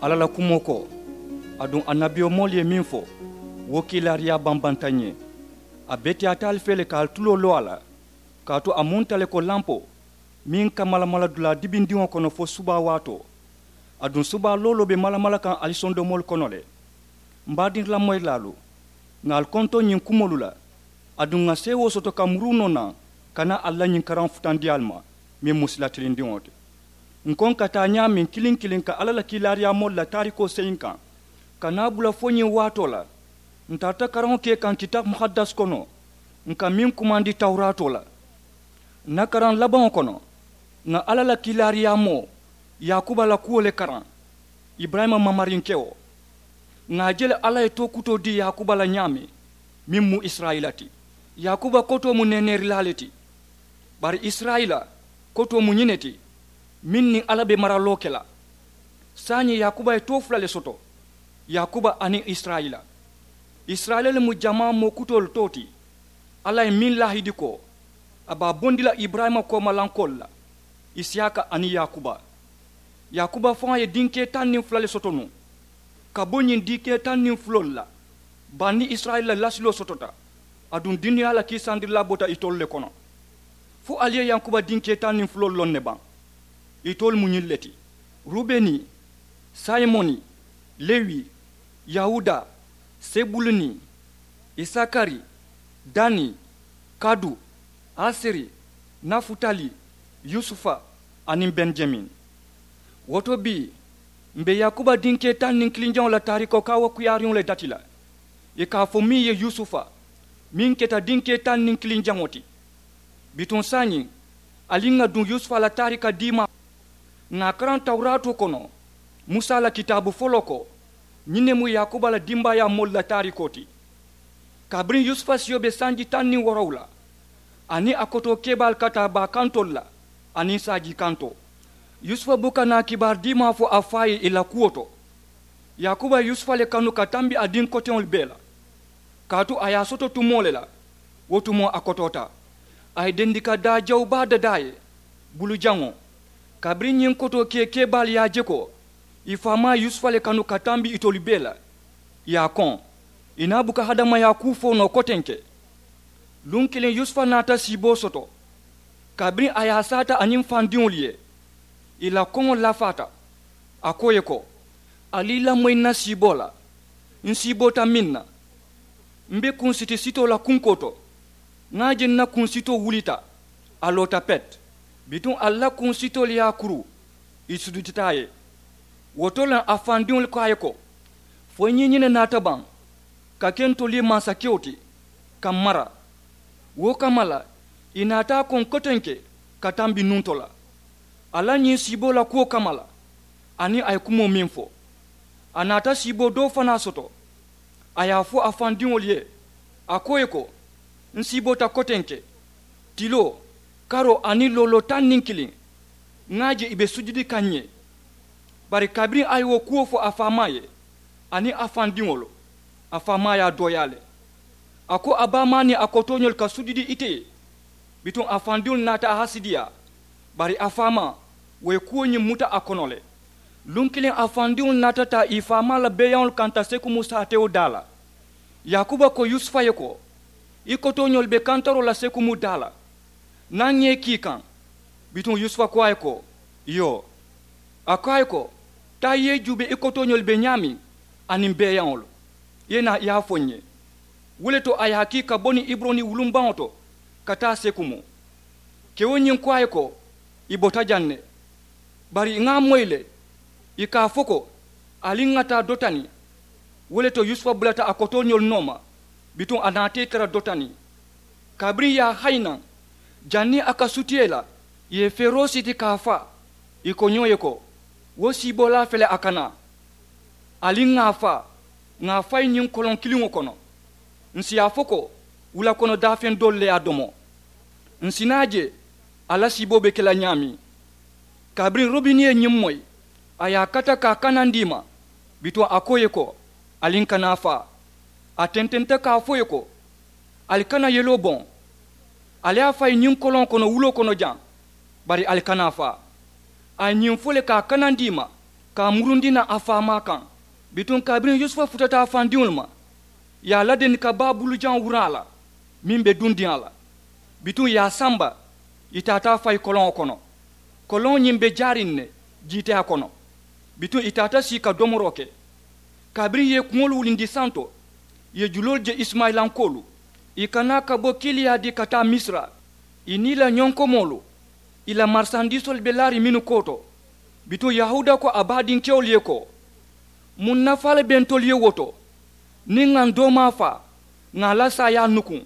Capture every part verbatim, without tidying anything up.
Alla la kumoo ko, aduŋ annabiyomoolu ye meŋ fo, wo kiilaariyaa bambanta ǹ ye. A beteyaata ali fee le ka ali tuloo loo a la, kaatu a mu nte le ko lampoo meŋ ka malamala dulaa dibindiŋo kono fo subaa waatoo. Aduŋ subaa looloo be malamala kaŋ ali sondomoolu kono le. M baadiŋ lamoyilaalu, ŋà ali kontoŋ ñiŋ kumoolu la, aduŋ ŋà seewoo soto ka muruu noo naŋ ka naa ali la ñiŋ karaŋo futandi ali ma, meŋ mu sila tilindiŋo ti. Ǹ ko ǹ ka taa ñaameŋ kiliŋ kiliŋ ka alla la kiilaariyaamoolu la taarikoo seyiŋ kaŋ, ka naa bula fo ñiŋ waatoo la. Ǹ tarata karaŋo ke kaŋ kitaabu muhaddas kono, ǹ ka meŋ kumandi tawuraatoo la. Ǹ na karaŋ labaŋo kono, ŋà alla la kiilaariyaamoo yaakuba la kuwo le karaŋ, iburayima mamarinkewo. Ŋà a je le alla ye tookutoo dii yaakuba la ñaameŋ, meŋ mu isirayila ti. Yaakuba kotoo mu neeneerilaa le ti. Bari isirayila kotoo mu ñiŋ ne ti, meŋ niŋ alla be maraloo ke la. Saayiŋ yaakuba ye too fula le soto, yaakuba aniŋ isirayila. Isirayila le mu jamaa moo kutoolu too ti. Alla ye meŋ laahidi ko, a be a bondi la iburayima koomalankoolu la, isiyaaka aniŋ yaakuba. Yaakuba faŋo ye dinkee taŋ niŋ fula le soto nuŋ, ka bo ñiŋ dinkee taŋ niŋ fuloolu la, bani isirayila la lasiloo sotota. Aduŋ duniyaa la kiisandirilaa bota itolu le kono. Fo ali ye yankuba dinkee taŋ niŋ fuloolu loŋ ne baŋ? Itolu mu ñiŋ le ti, rubeni, sayimoni, lewi, yawuda, sebuluni, isakari, dani, kadu, aseri, nafutali, yusufa, aniŋ benijamin. Wo to bii, m̀ be yaakuba dinkee taŋ niŋ kiliŋ jaŋo la taarikoo kaawakuyaariŋo le dati la, ì ka a fo meŋ ye yusufa, meŋ keta dinkee taŋ niŋ kiliŋ jaŋo ti. Bituŋ saayiŋ, ali ŋà duŋ yusufa la taarika diimaa. Ŋà a karaŋ tawuraatoo kono, musa la kitaabu foloo ko, ñiŋ ne mu yaakuba la dimbaayaa moolu la taarikoo ti. Kabiriŋ yusufa siyo be sanji taŋ niŋ woorowula, aniŋ a kotoo keebaalu ka taa baa kantoolu la, aniŋ saajii kantoo, yusufa buka naa kibaari diimaa fo a faa ye ì la kuwo to. Yaakuba ye yusufa le kanu ka tambi a diŋ koteŋolu bee la, kaatu a ye a soto tumoo le la, wo tumoo a kotoota. A ye dendika daa jawu baa dadaa a ye, bulujaŋo. Kabiriŋ ñiŋ kotoo kee keebaalu ye a je ko ì faamaa ye yusufa le kanu ka tambi itolu bee la, ì ye a koŋ. Ì naa buka hadamayaa kuu fo noo kotenke. Luŋ kiliŋ yusufa naata siiboo soto. Kabiriŋ a ye a saata aniŋ fandiŋolu ye, ì la koŋo lafaata. A ko ì ye ko, ali i lamoyi ǹ na siiboo la. Ǹ siiboota meŋ na, m̀ be kunsiti sitoo la kunkoo to. Ŋà a je ǹ na kunsitoo wulita, a loota pet. Bituŋ ali la kunsitoolu ye a kuru, ì sujudita a ye. Wo to le a fandiŋolu ko a ye ko, fo i ñiiñi ne naata baŋ ka ke ntolu ye mansakewo ti, ka m̀ mara? Wo kamma la, ì naata a koŋ kotenke ka tambi nuŋ to la, a la ñiŋ siiboo la kuwo kamma la. Aniŋ a ye kumoo meŋ fo, a naata siiboo doo fanaa soto. A ye a fo a fandiŋolu ye, a ko ì ye ko, ǹ siiboota kotenke, tiloo, karoo aniŋ looloo taŋ niŋ kiliŋ. Ŋà a je ì be sujudi kaŋ ǹ ye. Bari kabiriŋ a ye wo kuwo fo a faamaa ye aniŋ a fandiŋolu, a faamaa ye a dooyaa le. A ko a baamaa niŋ a kotooñolu ka sujudi ite ye. Bituŋ a fandiŋolu naata a hasidiyaa. Bari a faamaa, wo ye kuwo ñiŋ muta a kono le. Luŋ kiliŋ a fandiŋolu naata taa ì faamaa la beeyaŋolu kanta sekumu saatewo daa la. Yaakuba ko yusufa ye ko, i kotooñolu be kantaroo la sekumu daa la. Naŋ ŋà i kii kaŋ. Bituŋ yusufa ko a ye ko, iyoo. A ko a ye ko, taa i ye i juubee i kotooñolu be ñaameŋ, aniŋ beeyaŋolu, i ye naa i ye a fo ǹ ye. Wo le to a ye a kii ka bo niŋ iburoni wulumbaŋo to ka taa sekumu. Kewo ñiŋ ko a ye ko, ì bota jaŋ ne. Bari ŋà a moyi le, ì ka a fo ko, ali ŋà taa dotani. Wo le to yusufa bulata a kotooñolu nooma, bituŋ a naata ì tara dotani. Kabiriŋ ì ye a hayi naŋ, janniŋ a ka sutiya ì la, ì ye feeroo siti ka a faa. Ì ko ñoo ye ko, wo siiboolaa fele a ka naa. Ali ŋà a faa, ŋà a fayi ñiŋ koloŋ kiliŋo kono. Ǹ si a fo ko, wula kono daafeŋ doolu le ye a domo. Ǹ si naa je, a la siiboo be ke la ñaameŋ. Kabiriŋ robini ye ñiŋ moyi, a ye a kata ka a kanandi ì ma. Bituŋ a ko ì ye ko, ali ǹ kana a faa. A tententa ka a fo ì ye ko, ali kana yeloo boŋ. Ali ye a fayi ñiŋ koloŋo kono wuloo kono jaŋ, bari ali kana a faa. A ye ñiŋ fo le ka a kanandi ì ma, ka a murundi naŋ a faamaa kaŋ. Bituŋ kabiriŋ yusufa futata a fandiŋolu ma, ì ye a ladendi ka baa bulujaŋo wuraŋ a la meŋ be dundiŋ a la. Bituŋ ì ye a samba, ì taata a fayi koloŋo kono. Koloŋo ñiŋ be jaariŋ ne jiiteyaa kono. Bituŋ ì taata sii ka domoroo ke. Kabiriŋ ì ye ì kuŋolu wulindi santo, ì ye juloolu je isimayilankoolu, ì ka naa ka bo kiiliyaa dii ka taa misira. Ì niŋ ì la ñonkomoolu, ì la marisandiisoolu be laariŋ mennu koo to. Bituŋ yahuuda ko a baadinkewolu ye ko, muŋ nafaa le be ntolu ye wo to? Niŋ ŋà ǹ doomaa faa, ŋà a la saayaa nukuŋ.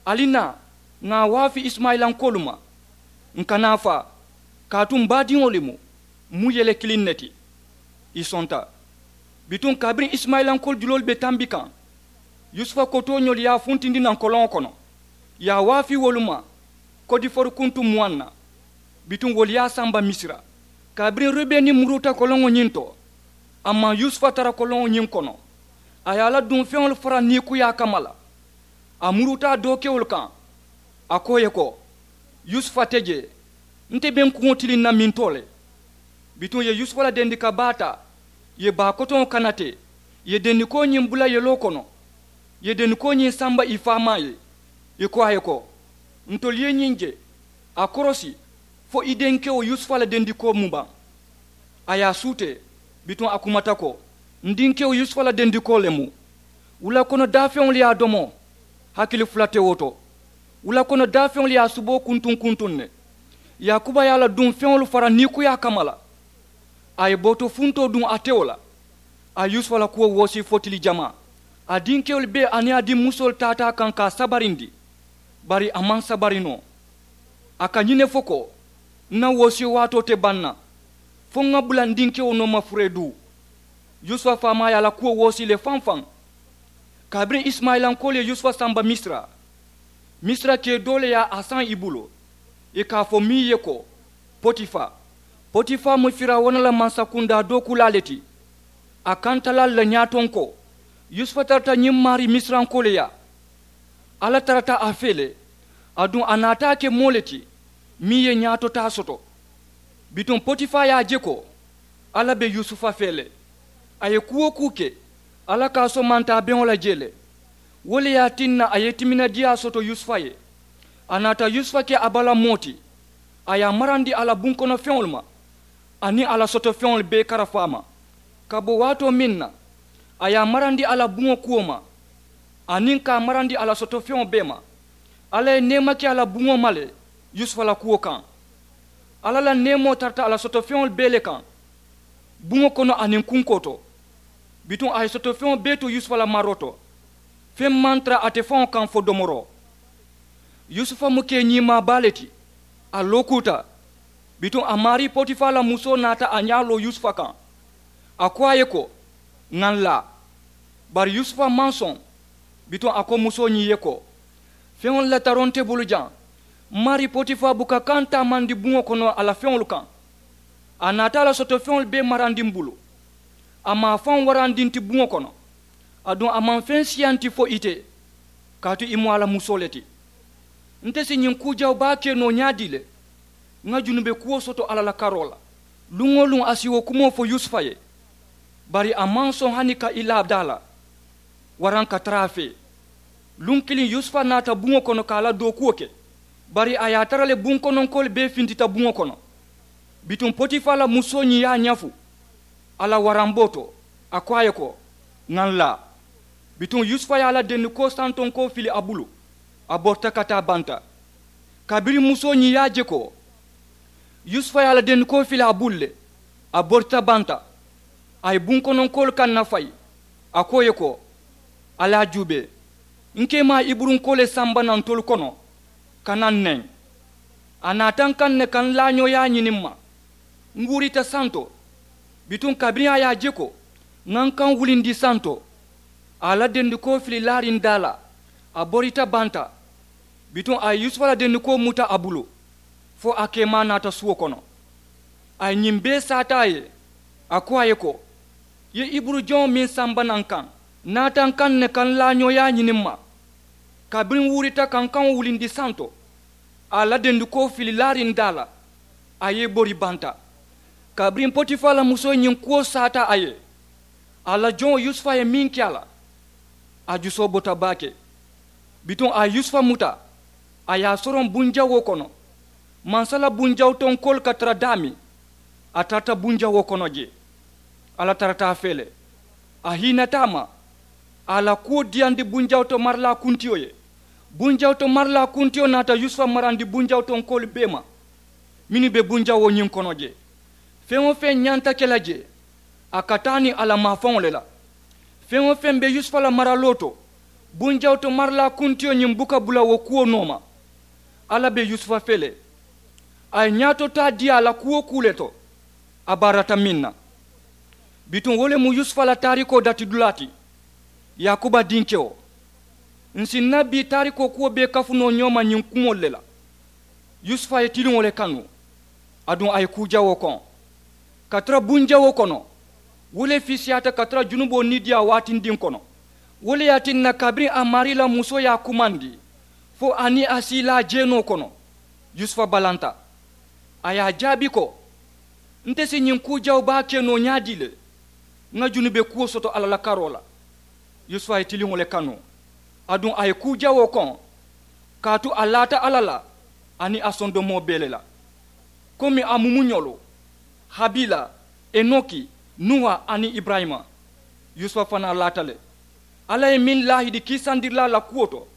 Ali naa, ŋà a waafi isimayilankoolu ma, ǹ kana a faa, kaatu m baadiŋo le mu, m mu yele kiliŋ ne ti. Ì sonta. Bituŋ kabiriŋ isimayilankoolu juloolu be tambi kaŋ, yusufa kotooñoolu ye a funtindi naŋ koloŋo kono, ì ye a waafi wolu ma. Kodifoori kuntu muwaŋ na. Bituŋ wolu ye a samba misira. Kabiriŋ rubeni muruuta koloŋo ñiŋ to, a maŋ yusufa tara koloŋo ñiŋ kono. A ye a la duŋ feŋolu fara niikuyaa kamma la. A muruuta a dookewolu kaŋ. A ko ì ye ko, yusufa te jee. Nte be ǹ kuŋo tiliŋ na mintoo le. Bituŋ ì ye yusufa la dendi ka baa taa, ì ye baa kotoŋo kana te, ì ye dendikoo ñiŋ bula yeloo kono, ì ye dendikoo ñiŋ samba ì faamaa ye. Ì ko a ye ko, ntolu ye ñiŋ je, a korosi, fo i denkewo yusufa la dendikoo mu baŋ. A ye a suutee. Bituŋ a kumata ko, n dinkewo yusufa la dendikoo le mu. Wula kono daafeŋolu ye a domo, hakili fula te wo to. Wula kono daafeŋolu ye a suboo kuntuŋ kuntuŋ ne. Yaakuba ye a la duŋ feŋolu fara niikuyaa kamma la. A ye booto funtoo duŋ a tewo la. A ye yusufa la kuwo woosi fo tili jamaa. A dinkewolu bee aniŋ a dimmusoolu taata a kaŋ ka a sabarindi. Bari a maŋ sabari noo. A ka ñiŋ ne fo ko, n na woosiyo waatoo te baŋ na, fo ŋà bula n dinkewo nooma furee duu. Yusufa faamaa ye a la kuwo woosi le faŋ faŋ. Kabiriŋ isimayilankoolu ye yusufa samba misira, misira kee doo le ye a saŋ i bulu. Ì ka a fo meŋ ye ko, potifa. Potifa mu firawuna la mansakundaa dookulaa le ti. A kantalaalu la ñaatonkoo, yusufa tarata ñiŋ maarii misirankoolu yaa. Alla tarata a fee le. Aduŋ a naata a ke moo le ti meŋ ye ñaatotaa soto. Bituŋ potifaa ye a je ko alla be yusufa fee le. A ye kuu-wo-kuu ke, alla ka a somanta a beŋo la jee le. Wo le ye a tinna a ye timinadiyaa soto yusufa ye. A naata yusufa ke a bala moo ti. A ye a marandi a la bunkono feŋolu ma, aniŋ a la soto feŋolu bee karafu a ma. Ka bo waatoo meŋ na, a ye a marandi a la buŋo kuwo ma, aniŋ ka a marandi a la soto feŋo bee ma. Alla ye neema ke a la buŋo ma le yusufa la kuwo kaŋ. Alla la neemoo tarata a la soto feŋolu bee le kaŋ, buŋo kono aniŋ kunkoo to. Bituŋ a ye soto feŋo bee to yusufa la maroo to. Feŋ maŋ tara ate faŋo kaŋ fo domoroo. Yusufa mu kee ñiimaa baa le ti. A lookuuta. Bituŋ a maarii potifaa la musoo naata a ñaa loo yusufa kaŋ. A ko a ye ko, ŋà n laa. Bari yusufa maŋ soŋ. Bituŋ a ko musoo ñiŋ ye ko, feŋolu la taroo nte bulu jaŋ. M maarii potifaa buka kaŋ taamandi buŋo kono a la feŋolu kaŋ. A naata a la soto feŋolu bee marandi m bulu. A maŋ a faŋo warandi nti buŋo kono. Aduŋ a maŋ feŋ siyanti fo ite, kaatu i mu a la musoo le ti. Nte si ñiŋ kuu jawu baa ke noo ñaadii le? Ŋa junube kuwo soto alla la karoo la. Luŋ-wo-luŋ a si wo kumoo fo yusufa ye. Bari a maŋ soŋ hani ka i laa daa la waraŋ ka tara a fee. Luŋ kiliŋ yusufa naata buŋo kono ka a la dookuwo ke. Bari a ye a tara le bunkononkoolu bee fintita buŋo kono. Bituŋ potifaa la musoo ñiŋ ye a ñafu a la waramboo to. A ko a ye ko, ŋà n laa. Bituŋ yusufa ye a la dendikoo santonkoo fili a bulu. A borita ka taa banta. Kabiriŋ musoo ñiŋ ye a je ko yusufa ye a la dendikoo fili a bulu le, a borita banta. A ye bunkononkoolu kaŋ nafayi. A ko ì ye ko, ali a juubee. N keemaa iburunkoo le samba naŋ ntolu kono ka naŋ neŋ. A naata n kaŋ ne ka n laañooyaa ñini m ma. N wuurita santo. Bituŋ kabiriŋ a ye a je ko ŋa n kaŋ wulindi santo, a ye a la dendikoo fili laariŋ daa la. A borita banta. Bituŋ a ye yusufa la dendikoo muta a bulu fo a keemaa naata suwo kono. A ye ñiŋ bee saata a ye. A ko a ye ko, i ye iburu joŋo meŋ samba naŋ kaŋ, naata n kaŋ ne ka n laañooyaa ñini m ma. Kabiriŋ n wuurita ka n kaŋo wulindi santo, a ye a la dendikoo fili laariŋ daa la. A ye i bori banta. Kabiriŋ potifaa la musoo ñiŋ kuwo saata a ye, a la joŋo yusufa ye meŋ ke a la, a jusoo bota baake. Bituŋ a ye yusufa muta, a ye a soroŋ bunjawoo kono. Mansa la bunjawutonkoolu ka tara daameŋ, a tarata bunjawoo kono jee. Alla tarata a fee le. A hiinata a ma, a la kuwo diyandi bunjawuto marilaa kuntiyo ye. Bunjawuto marilaa kuntiyo naata yusufa marandi bunjawutonkoolu bee ma, mennu be bunjawoo ñiŋ kono jee. Feŋ-wo-feŋ ñanta ke la jee, a ka taa niŋ a la maafaŋo le la. Feŋ-wo-feŋ be yusufa la maraloo to, bunjawuto marilaa kuntiyo ñiŋ buka bula wo kuwo nooma. Alla be yusufa fee le. A ye ñaato taa dii a la kuu-wo-kuu le to, a baarata meŋ na. Bituŋ wo le mu yusufa la taarikoo datidulaa ti. Yaakuba dinkewo, ǹ si ǹ na bii taarikoo kuwo bee kafu noo ñoo ma ñiŋ kumoolu le la. Yusufa ye tiliŋo le kanu, aduŋ a ye kuu jawoo koŋ. Ka tara bunjawoo kono, wo le fiisiyaata ka tara junuboo niidiyaa waatindiŋ kono. Wo le ye a tinna kabiriŋ a maarii la musoo ye a kumandi, fo a niŋ a si i laa jeenoo kono, yusufa balanta. A ye a jaabi ko, nte si ñiŋ kuu jawoo baa ke noo ñaadii le? Ŋa junube kuwo soto alla la karoo la. Yusufa ye tiliŋo le kanu, aduŋ a ye kuu jawoo koŋ. Kaatu a laata alla la, aniŋ a sondomoo bee le la, komi a mumuñolu, habila, enoki, nuwa aniŋ iburayima. Yusufa fanaa laata le. Alla ye meŋ laahidi kiisandirilaa la kuwo to,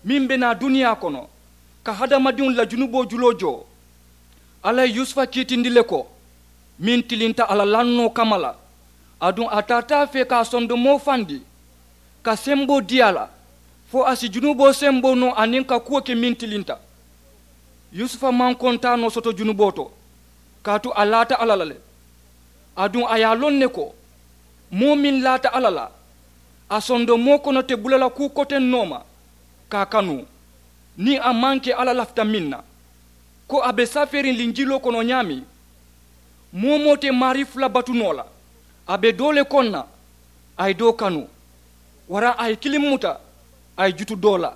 meŋ be naa duniyaa kono, ka hadamadiŋolu la junuboo juloo joo. Alla ye yusufa kiitindi le ko, meŋ tilinta a la lannoo kamma la, aduŋ a tarata a fee ka a sondomoo fandi, ka semboo dii a la, fo a si junuboo semboo noo aniŋ ka kuwo ke meŋ tilinta. Yusufa maŋ kontaanoo soto junuboo to, kaatu a laata alla la le. Aduŋ a ye a loŋ ne ko, moo meŋ laata alla la, a sondomoo kono te bula la kuu koteŋ noo ma, ka a kanu, niŋ a maŋ ke alla lafita meŋ na, ko a be safeeriŋ linjiloo kono ñaameŋ. Moo-wo-moo te maarii fula batu noo la, a be doo le koŋ na, a ye doo kanu. Waraŋ a ye kiliŋ muta, a ye jutu doo la.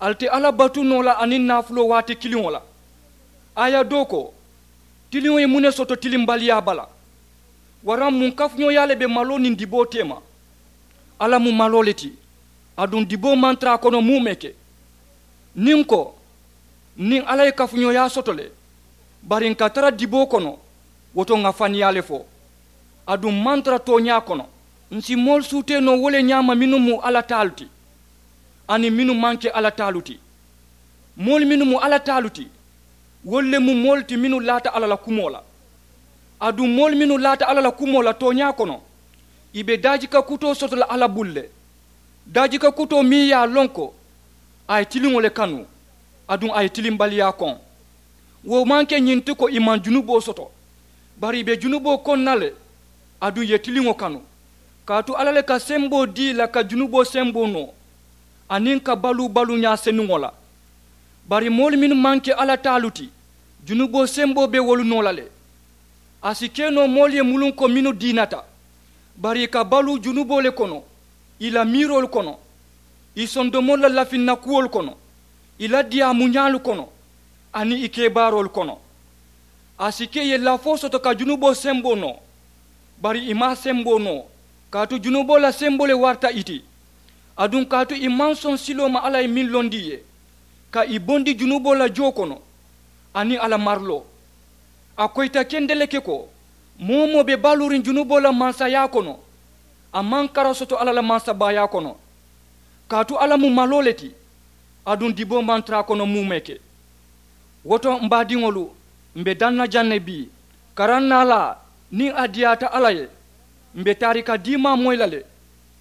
Ali te alla batu noo la aniŋ naafuloo waati kiliŋo la. Aaya doo ko, tiliŋo ye muŋ ne soto tilimbaliyaa bala? Waraŋ muŋ kafuñooyaa le be maloo niŋ diboo teema? Alla mu maloo le ti, aduŋ diboo maŋ tara a kono muumee ke. Niŋ n ko, niŋ alla ye kafuñooyaa soto le, bari n ka tara diboo kono, wo to ŋa faniyaa le fo. Aduŋ maŋ tara tooñaa kono. Ǹ si moolu suutee noo wo le ñaama mennu mu alla taalu ti, aniŋ mennu maŋ ke alla taalu ti. Moolu mennu mu alla taalu ti, wolu le mu moolu ti mennu laata alla la kumoo la. Aduŋ moolu mennu laata alla la kumoo la tooñaa kono, ì be daajika kutoo soto la alla bulu le. Daajika kutoo meŋ ye a loŋ ko a ye tiliŋo le kanu, aduŋ a ye tilimbaliyaa koŋ. Wo maŋ ke ñiŋ ti ko ì maŋ junuboo soto, bari ì be junuboo koŋ na le, aduŋ ì ye tiliŋo kanu. Kaatu alla le ka semboo dii ì la ka junuboo semboo noo, aniŋ ka baluu baluuñaa senuŋo la. Bari moolu mennu maŋ ke alla taalu ti, junuboo semboo be wolu noo la le. A si ke noo moolu ye muluŋ ko mennu diinata, bari ì ka baluu junuboo le kono, ì la miiroolu kono, ì sondomoolu la lafinna kuwolu kono, ì la diyaamuñaalu kono, aniŋ ì kebaaroolu kono. A si ke ì ye lafoo soto ka junuboo semboo noo, bari ì maŋ a semboo noo, kaatu junuboo la semboo le warata ì ti. Aduŋ kaatu ì maŋ soŋ siloo ma alla ye meŋ londi ì ye, ka ì bondi junuboo la joo kono, aniŋ a la mariloo. A koyita kendeleŋ ke ko, moo-wo-moo be baluuriŋ junuboo la mansayaa kono, a maŋ kara soto alla la mansabaayaa kono. Kaatu alla mu maloo le ti, aduŋ diboo maŋ tara a kono muumee ke. Wo to m baadiŋolu, m be daŋ na jaŋ ne bii, karaŋ naalaa, niŋ a diyaata alla ye, m be taarika diimaa moyi la le.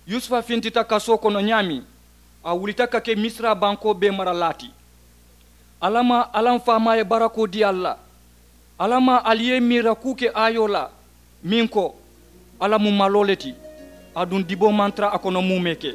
Yusufa fintita kasoo kono ñaameŋ, a wulita ka ke misira bankoo bee maralaa ti. Alla maa, alla m faamaa ye barakoo dii ali la. Alla maa, ali ye i miira kuu ke aayoo la, meŋ ko, alla mu maloo le ti, aduŋ diboo maŋ tara a kono muumee ke.